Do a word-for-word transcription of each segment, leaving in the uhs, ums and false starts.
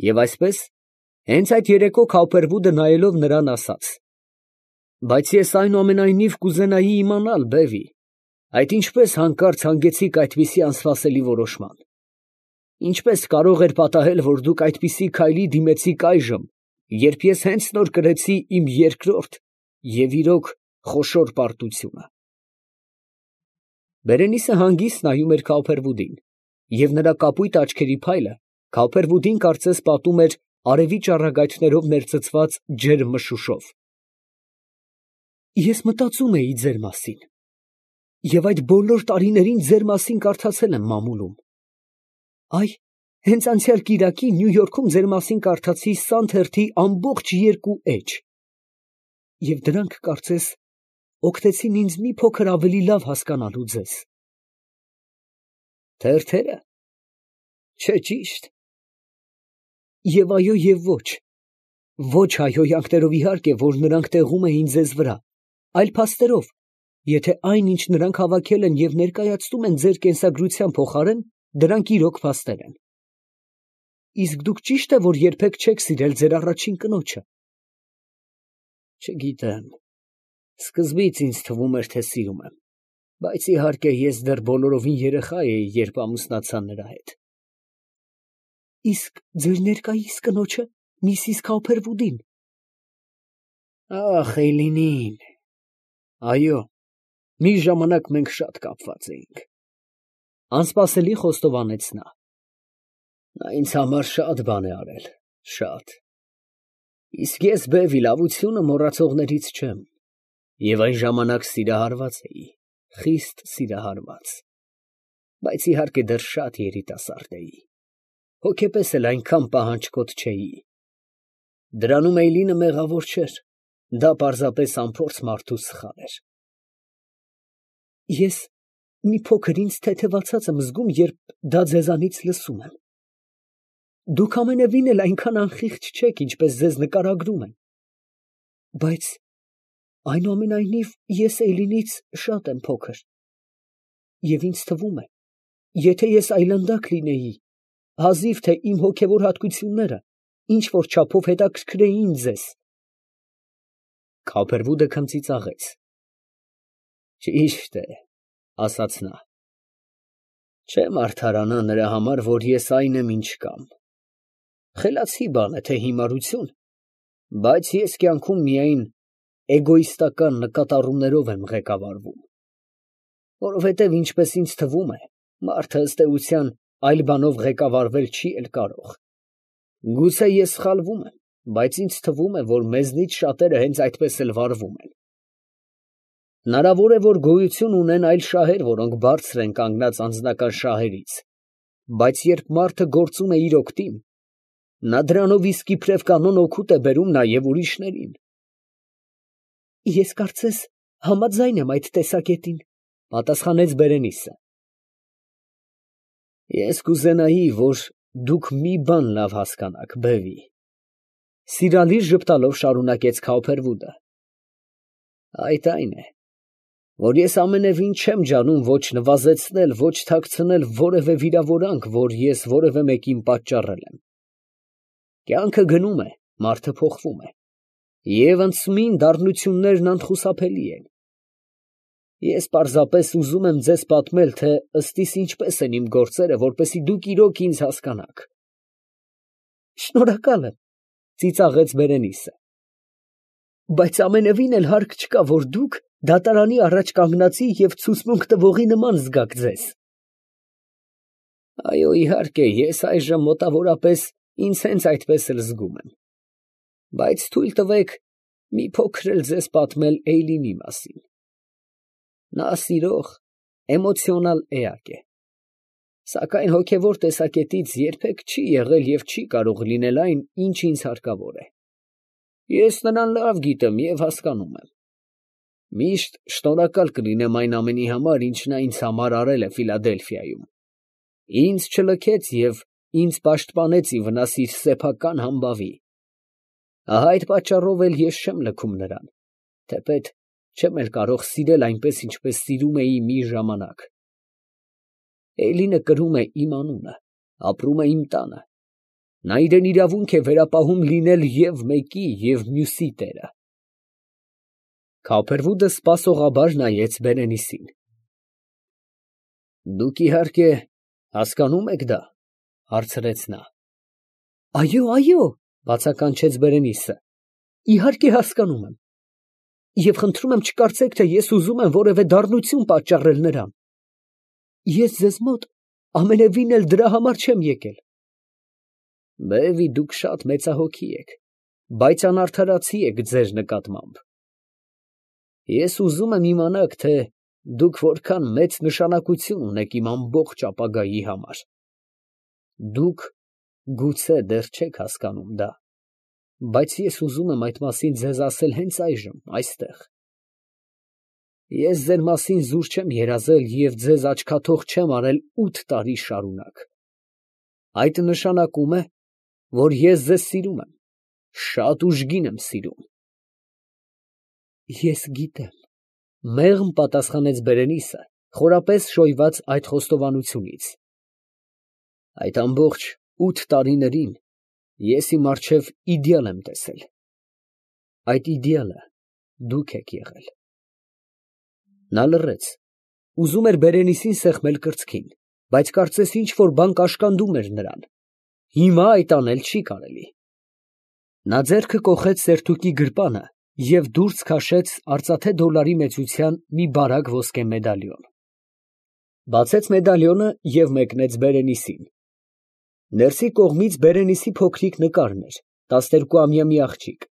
Եվ այսպես, հենց այդ երեկո Քավբերվուդը նայելով նրան ասաց. «Բայց ես այնուամենայնիվ կուզենայի իմանալ, բևի, այդ ինչպես հանկարծ հանգեցիք այդպիսի անսպասելի որոշման. ինչպես կարող էր պատահել, որ դուք այդպիսի քայլի դիմեցիք այժմ, երբ ես հենց նոր կրեցի իմ երկրորդ և իրոք խոշոր պարտությունը»։ Բերենիսը հանգիստ նայում էր Քավբերվուդին, և նրա կապույտ աչքերի փայլը Քավբերվուդին կարծես պատում էր արևի ճառագայթներով ներծծված ջերմ մշուշով։ «Ես մտածում էի ձեր մասին, և այդ բոլոր տարիներին ձեր մասին կարդացել եմ մամուլում. այ, հենց անցյալ կիրակի Նյու Յորքում ձեր մասին կարդացի Սան թերթի ամբողջ երկու էջ, և դրանք, կարծես, օգնեցին ինձ մի փոքր ավելի լավ հասկանալու ձեզ»։ Թերթե՞րը, չէ՞ ճիշտ։ Եվ այո և ոչ. ոչ հայհոյանքներով իհարկե, որ նրանք տեղում էին ձեզ վրա, այլ փաստերով, եթե այն, ինչ նրանք հավաքել են և ներկայացնում են ձեր կենսագրության փոխարեն, դրանք իրոք փաստեր են։ Իսկ դուք ճի՞շտ է, որ երբեք չեք սիրել ձեր առաջին կնոջը։ Չգիտեմ, սկզբից ինձ թվում էր, թե սիրում եմ, բայց իհարկե ես դեռ բոլորովին երեխա էի, երբ ամուսնացա նրա հետ։ Իսկ ձեր ներկայիս կնոջը, միսիս Քավբերվուդին։ Ախ, Էյլինին, այո, մի ժամանակ մենք շատ կապված էինք, անսպասելի խոստովանեց նա։ Նա ինձ համար շատ բան է արել, շատ։ Իսկ ես, բևի, լավությունը մոռացողներից չեմ, և այն ժամանակ սիրահարված էի, խիստ սիրահարված, բայց իհարկե դեռ շատ երիտասարդ էի, հոգեպես էլ այնքան պահանջկոտ չէի։ Դրանում Էյլինը մեղավոր չէր, դա պարզապես անփորձ մարդու սխալ էր։ Ես մի փոքր ինձ թեթևացած եմ զգում, երբ դա ձեզանից լսում եմ։ Դուք ամենևին էլ այնքան անխիղճ չեք, ինչպես ձեզ նկարագրում են։ Բայց այնուամենայնիվ ես Էյլինից շատ եմ փոքր, և ինձ թվում է, եթե ես այլանդակ լինեի, հազիվ թե իմ հոգևոր հատկությունները ինչ֊որ չափով հետաքրքրեին ձեզ։ Քավբերվուդը քմծիծաղեց։ Ճիշտ է, ասաց նա, չեմ արդարանա նրա համար, որ ես այն եմ, ինչ կամ։ Խելացի բան է, թե հիմարություն, բայց ես կյանքում միայն էգոիստական նկատառումներով եմ ղեկավարվում, որովհետև, ինչպես ինձ թվում է, մարդը ըստ էության այլ բանով ղեկավարվել չի էլ կարող։ Գուցե ես սխալվում եմ, բայց ինձ թվում է, որ մեզնից շատերը հենց այդպես էլ վարվում են։ Հնարավոր է, որ գոյություն ունեն այլ շահեր, որոնք բարձր են կանգնած անձնական շահերից, բայց երբ մարդը գործում է իր օգտին, նա դրանով իսկ իբրև կանոն օգուտ է բերում նաև ուրիշներին։ Ես կարծես համաձայն եմ այդ տեսակետին, պատասխանեց Բերենիսը։ Ես կուզենայի, որ դուք մի բան լավ հասկանաք, բևի, սիրալիր ժպտալով շարունակեց Քավբերվուդը։ Այդ այն է, որ ես ամենևին չեմ ջանում ոչ նվազեցնել, ոչ թաքցնել որևէ վիրավորանք, որ ես որևէ մեկին պատճառել եմ։ Կյանքը գնում է, մարդը փոխվում է, և անցումին դառնություններն անխուսափելի են։ Ես պարզապես ուզում եմ ձեզ պատմել, թե ըստ իս ինչպես են իմ գործերը, որպեսզի դուք իրոք ինձ հասկանաք։ Շնորհակալ եմ, ծիծաղեց Բերենիսը, բայց ամենևին էլ հարկ չկա, որ դուք դատարանի առաջ կանգնածի և ցուցմունք տվողի նման զգաք ձեզ։ Այո, իհարկե, ես այժմ մոտավորապես ինձ հենց այդպես էլ զգում եմ, բայց թույլ տվեք մի փոքր էլ ձեզ պատմել Էյլինի մասին։ Նա սիրող, էմոցիոնալ էակ է, սակայն հոգևոր տեսակետից երբեք չի եղել և չի կարող լինել այն, ինչ ինձ հարկավոր է։ Ես նրան լավ գիտեմ և հասկանում եմ։ Միշտ շնորհակալ կլինեմ այն ամենի համար, ինչ նա ինձ համար արել է Ֆիլադելֆիայում։ Ինձ չլքեց և ինձ պաշտպանեց ի վնաս իր սեփական համբավի։ Ահա այդ պատճառով էլ ես չեմ լքում նրան, թեպետ չեմ էլ կարող սիրել այնպես, ինչպես սիրում էի մի ժամանակ։ Էյլինը կրում է իմ անունը, ապրում է իմ տանը, Նա իրեն իրավունք է վերապահում լինել և մեկի, և մյուսի տերը։ Քափերվուդը սպասողաբար նայեց Բերենիսին։ ֊ Դուք, իհարկե, հասկանում եք դա, ֊ հարցրեց նա։ ֊ Այո, այո, ֊ բացականչեց Բերենիսը, ֊ իհարկե հասկանում եմ, և խնդրում եմ չկարծեք, թե ես ուզում եմ որևէ դառնություն պատճառել նրան. ես ձեզ մոտ ամենևին էլ դրա համար չեմ եկել։ Բեվի, դուք շատ մեծահոգի եք, բայց անարդարացի եք ձեր նկատմամբ։ Ես ուզում եմ իմանաք, թե դուք որքան մեծ նշանակություն ունեք իմ ամբողջ ապագայի համար։ Դուք գուցե դեռ չեք հասկանում դա, բայց ես ուզում եմ այդ մասին ձեզ ասել հենց այժմ, այստեղ։ Ես ձեր մասին զուր չեմ երազել և ձեզ աչքաթող չեմ արել ութ տարի շարունակ։ Այդ նշանակում է, որ ես ձեզ սիրում եմ, շատ ուժգին եմ սիրում։ Ես գիտեմ, ֊ մեղմ պատասխանեց Բերենիսը, խորապես շոյված այդ խոստովանությունից։ Այդ ամբողջ ութ տարիներին ես իմ առջև իդեալ եմ տեսել։ Այդ իդեալը դուք եք եղել։ Նա լռեց, ուզում էր Բերենիսին սեղմել կրծքին, բայց կարծես ինչ֊որ բան կաշկանդում էր նրան։ Հիմա այդ անել չի կարելի։ Նա ձեռքը կոխեց սերթուկի գրպանը և դուրս քաշեց արծաթե դոլարի մեծության մի բարակ ոսկե մեդալիոն։ Բացեց մեդալիոնը և մեկնեց Բերենիսին։ Ներսի կողմից Բերենիսի փոքրիկ նկարն էր, տասներկուամյա մի աղջիկ,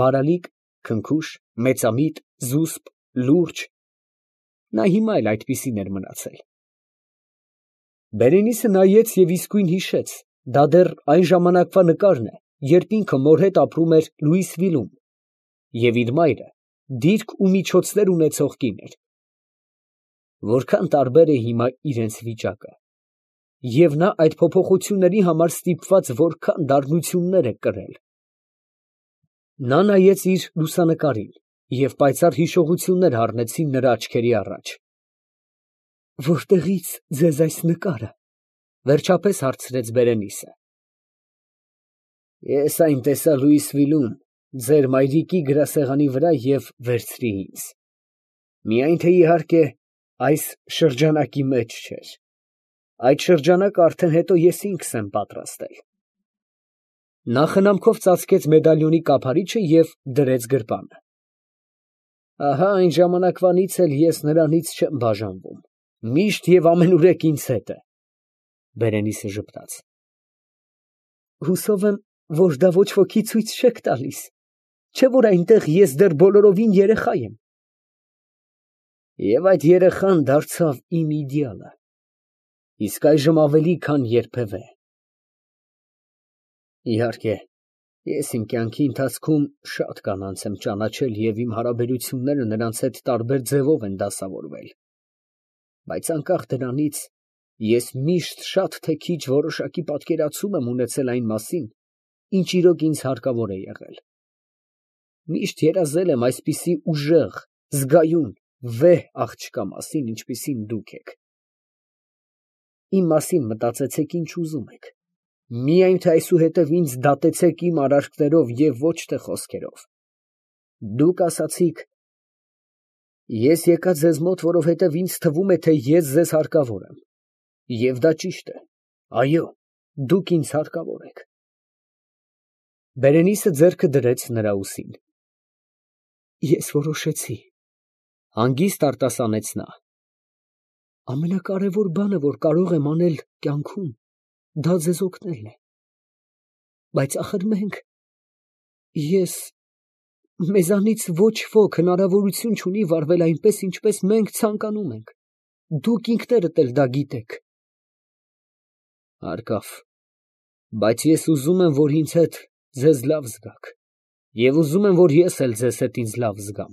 բարալիկ, քնքուշ, մեծամիտ, զուսպ, լուրջ. նա հիմա էլ այդպիսին էր մնացել։ Բերենիսը նայեց և իսկույն հիշեց, դա դեռ այն ժամանակվա նկարն է, երբ ինքը մոր հետ ապրում էր Լուիսվիլում, և իր մայրը դիրք ու միջոցներ ունեցող կին էր։ Որքան տարբեր է հիմա իրենց վիճակը, և նա այդ փոփոխությունների համար ստիպված որքան դառնություններ է կրել։ Նա նայեց իր լուսանկարին, և պայծառ հիշողություններ հառնեցին նրա աչքերի առաջ։ ֊ Որտեղի՞ց ձեզ այս նկարը, ֊ վերջապես հարցրեց Բերենիսը։ Ես այն տեսա Լուիսվիլում, ձեր մայրիկի գրասեղանի վրա և վերցրի ինձ։ Միայն թե իհարկե այս շրջանակի մեջ չէր։ Այդ շրջանակը արդեն հետո ես ինքս եմ պատրաստել։ Նա խնամքով ծածկեց մեդալիոնի կափարիչը և դրեց գրպանը։ Ահա այն ժամանակվանից էլ ես նրանից չեմ բաժանվում, միշտ և ամենուրեք ինձ հետ է։ Բերենիսը ժպտաց։ Հուսով եմ, որ դա ոչ ոքի ցույց չեք տալիս, չէ՞ որ այնտեղ ես դեռ բոլորովին երեխա եմ։ Եվ այդ երեխան դարձավ իմ իդեալը, իսկ այժմ ավելի քան երբևէ։ Իհարկե, ես իմ կյանքի ընթացքում շատ կանանց եմ ճանաչել և իմ հարաբերությունները նրանց հետ տարբեր ձևով են դասավորվել, բայց անկախ դրանից, ես միշտ շատ թե քիչ որոշակի պատկերացում եմ ունեցել այն մասին, ինչ իրոք ինձ հարկավոր է եղել։ Միշտ երազել եմ այսպիսի ուժեղ, զգայուն, վեհ աղջկա մասին, ինչպիսին դուք եք։ Իմ մասին մտածեցեք ինչ ուզում եք, միայն թե այսուհետև ինձ դատեցեք իմ արարքներով և ոչ թե խոսքերով։ Դուք ասացիք. ես եկա ձեզ մոտ, որովհետև ինձ թվում է, թե ես ձեզ հարկավոր եմ, և դա ճիշտ է, այո, դուք ինձ հարկավոր եք։ Բերենիսը ձեռքը դրեց նրա ուսին։ Ես որոշեցի, հանգիստ արտասանեց նա։ Ամենակարևոր բանը, որ կարող եմ անել կյանքում, դա ձեզ օգնելն է։ Բայց ախր մենք, ես, մեզանից ոչ ոք հնարավորություն չունի վարվել այնպես, ինչպես մենք ցանկանում ենք, դուք ինքներդ էլ դա գիտեք։ Հարկավ, բայց ես ուզում եմ, որ ինձ հետ ձեզ լավ զգաք, և ուզում եմ, որ ես էլ ձեզ հետ ինձ լավ զգամ։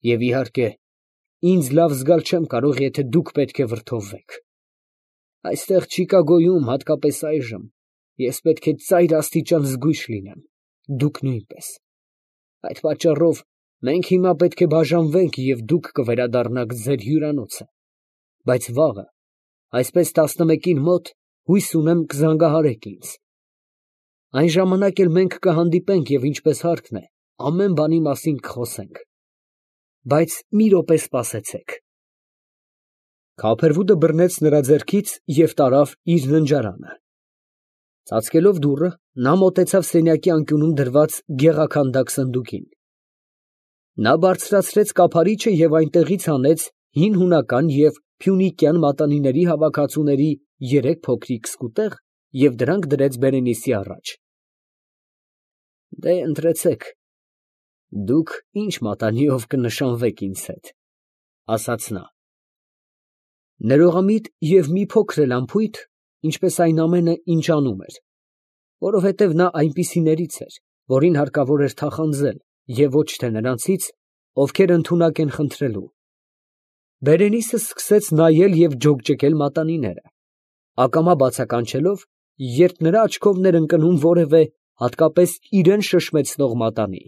Եվ իհարկե, ինձ լավ զգալ չեմ կարող, եթե դուք պետք է վրդովվեք։ Այստեղ Չիկագոյում, հատկապես այժմ, ես պետք է ծայր աստիճան զգույշ լինեմ, դուք նույնպես։ Այդ պատճառով մենք հիմա պետք է բաժանվենք և դուք կվերադառնաք ձեր հյուրանոցը, բայց վաղը, այսպես տասնմեկին մոտ, հույս ունեմ կզանգահարեք ինձ, Այն ժամանակ էլ մենք կհանդիպենք և ինչպես հարկն է, ամեն բանի մասին կխոսենք, բայց մի րոպե սպասեցեք։ Քափերվուդը բռնեց նրա ձեռքից և տարավ իր ննջարանը։ Ծածկելով դուռը, նա մոտեցավ սենյակի անկյունում դրված գեղաքանդակ սնդուկին։ Նա բարձրացրեց կափարիչը և այնտեղից հանեց հին հունական և փյունիկյան մատանիների հավաքածուների երեք փոքրիկ սկուտեղ և դրանք դրեց Բերենիցի առաջ։ Դե, ընտրեցեք, դուք ինչ մատանիով կնշանվեք ինձ հետ, ֊ ասաց նա։ Ներողամիտ և մի փոքր էլ անփույթ, ինչպես այն ամենը, ինչ անում էր, որովհետև նա այնպիսիներից էր, որին հարկավոր էր թախանձել և ոչ թե նրանցից, ովքեր ընդունակ են խնդրելու։ Բերենիցը սկսեց նայել և ջոկջկել մատանիները, ակամա բացականչելով, երբ նրա աչքովն էր ընկնում որևէ, հատկապես իրան շշմեցնող մատանի։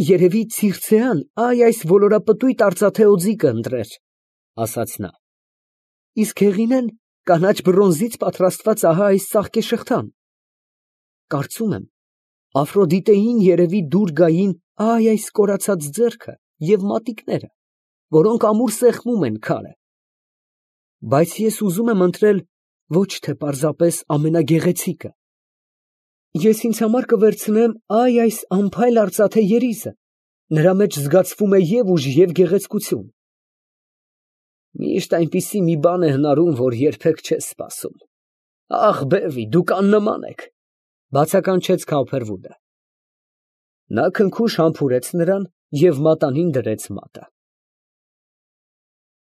Երևի Ցիրցեան այ այս ոլորապտույտ արծաթե օձիքը ընտրեր, ֊ ասաց նա, իսկ Հեղինեն կանաչ բրոնզից պատրաստված ահա այս ծաղկե շղթան։ Կարծում եմ, Աֆրոդիտեին երևի դուր գային այ այս կորացած ձեռքը և մատիկները, որոնք ամուր սեղմում են քարը։ Բայց ես ուզում եմ ընտրել ոչ թե պարզապես ամենագեղեցիկը. ես ինձ համար կվերցնեմ այ այս անփայլ արծաթե երիզը, նրա մեջ զգացվում է և ուժ, և գեղեցկություն։ Միշտ այնպիսի մի բան է հնարում, որ երբեք չես սպասում։ Ախ, բևի, դուք աննման եք, ֊ բացականչեց Քափերվուդը։ Նա քնքուշ համբուրեց նրան և մատանին դրեց մատը։